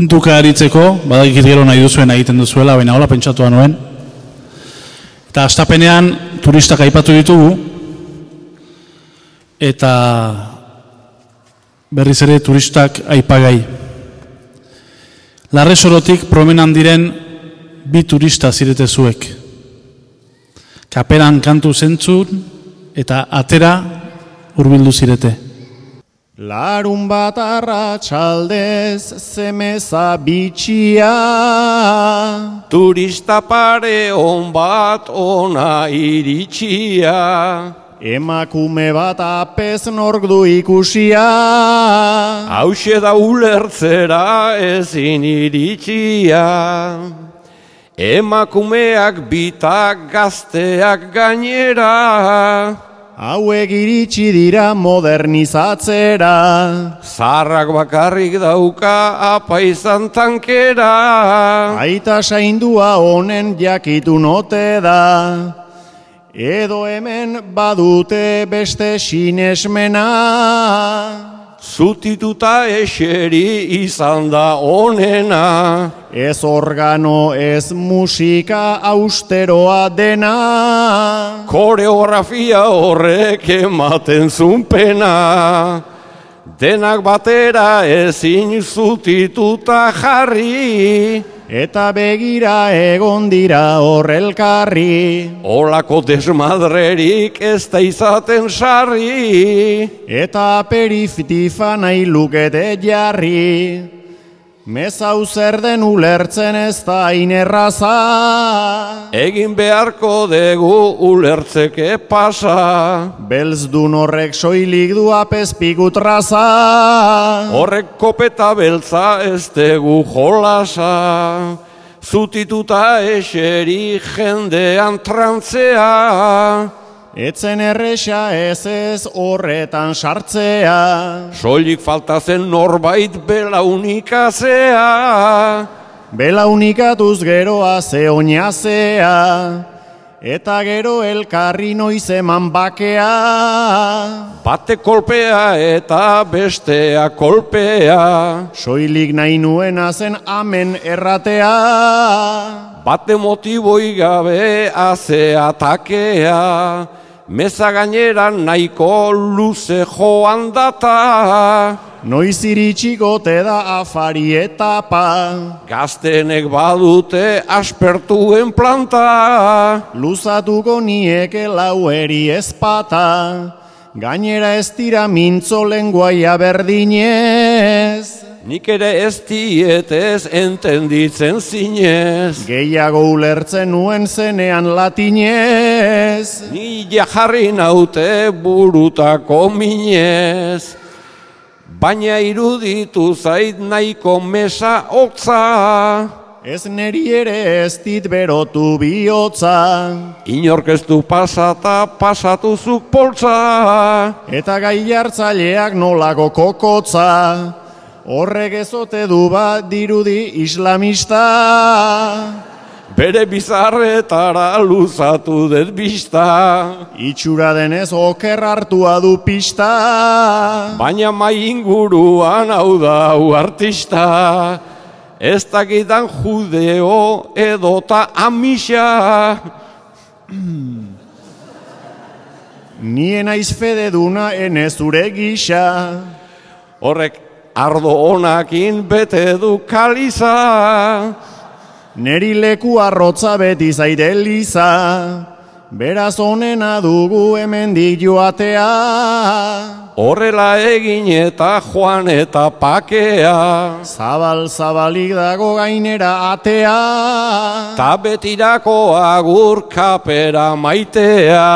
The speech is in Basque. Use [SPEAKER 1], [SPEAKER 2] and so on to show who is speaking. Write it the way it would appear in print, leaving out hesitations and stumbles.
[SPEAKER 1] puntuka aritzeko, badakit gero nahi duzuen egiten duzuela, baina hola pentsatua nuen. Eta hastapenean turistak aipatu ditugu, eta berriz ere turistak aipagai. Larresorotik promenan diren 2 turista zirete zuek. Kaperan kantu zentzun eta atera hurbildu zirete.
[SPEAKER 2] Larun bat arratsaldez zemeza bitxia,
[SPEAKER 3] turista pare on bat ona iritsia,
[SPEAKER 2] emakume bat apez nork du ikusia,
[SPEAKER 3] hauxe da ulertzera ezin iritsia, emakumeak bitak gazteak gainera,
[SPEAKER 2] hauek iritsi dira modernizatzera,
[SPEAKER 3] zaharrak bakarrik dauka apaizan tankera,
[SPEAKER 2] aita saindua honen jakitun ote da, edo hemen badute beste sinesmena,
[SPEAKER 3] zutituta eseri izan da onena,
[SPEAKER 2] ez organo ez musika austeroa dena,
[SPEAKER 3] koreografia horrek ematen zunpena, denak batera ezin zutituta jarri,
[SPEAKER 2] eta begira egon dira horrelkarri,
[SPEAKER 3] olako desmadrerik ez da izaten sarri,
[SPEAKER 2] eta aperitifa nahi lukete jarri, mezau zer den ulertzen ez da inerraza,
[SPEAKER 3] egin beharko dugu ulertzeke pasa,
[SPEAKER 2] belzdun horrek soilik du apezpiku traza,
[SPEAKER 3] horrek kopeta beltza ez dugu jolasa, zutituta eseri jendean trantzea,
[SPEAKER 2] etzen erresa ez horretan sartzea,
[SPEAKER 3] soilik falta zen norbait belaunikazea,
[SPEAKER 2] belaunikatuz geroa ze oinazea, eta gero elkarri noiz eman bakea,
[SPEAKER 3] bate kolpea eta bestea kolpea,
[SPEAKER 2] soilik nahi nuena zen amen erratea,
[SPEAKER 3] bate motiboi gabe haze atakea, meza gainera nahiko luze joan data,
[SPEAKER 2] noiz iritsiko te da afari etapa,
[SPEAKER 3] gaztenek badute aspertuen planta,
[SPEAKER 2] luzatuko nieke laueri ezpata, gainera ez dira mintzo lenguaia berdinez,
[SPEAKER 3] nik ere ez dietez entenditzen zinez,
[SPEAKER 2] gehiago ulertzen nuen zenean latinez,
[SPEAKER 3] ni jarri naute burutako minez, baina iruditu zait nahiko mesa hotza,
[SPEAKER 2] ez neri ere ez dit berotu bihotza,
[SPEAKER 3] inork ez du pasata pasatuzuk poltza,
[SPEAKER 2] eta gai hartzaileak nolako kokotza, horrek ezote du bat dirudi islamista,
[SPEAKER 3] bere bizarretara luzatu dut bista,
[SPEAKER 2] itxura denez oker hartua du pista,
[SPEAKER 3] baina mai inguruan hau da hau artista, ez dakidan judeo edota amisa,
[SPEAKER 2] nien aiz fede duna ene zure gisa,
[SPEAKER 3] horrek ardo honakin bete du kaliza,
[SPEAKER 2] neri leku arrotza beti zaite liza, beraz onena dugu hemendik joatea,
[SPEAKER 3] horrela egin eta joan eta pakea,
[SPEAKER 2] zabalik dago gainera atea,
[SPEAKER 3] ta betirako agur kapera maitea.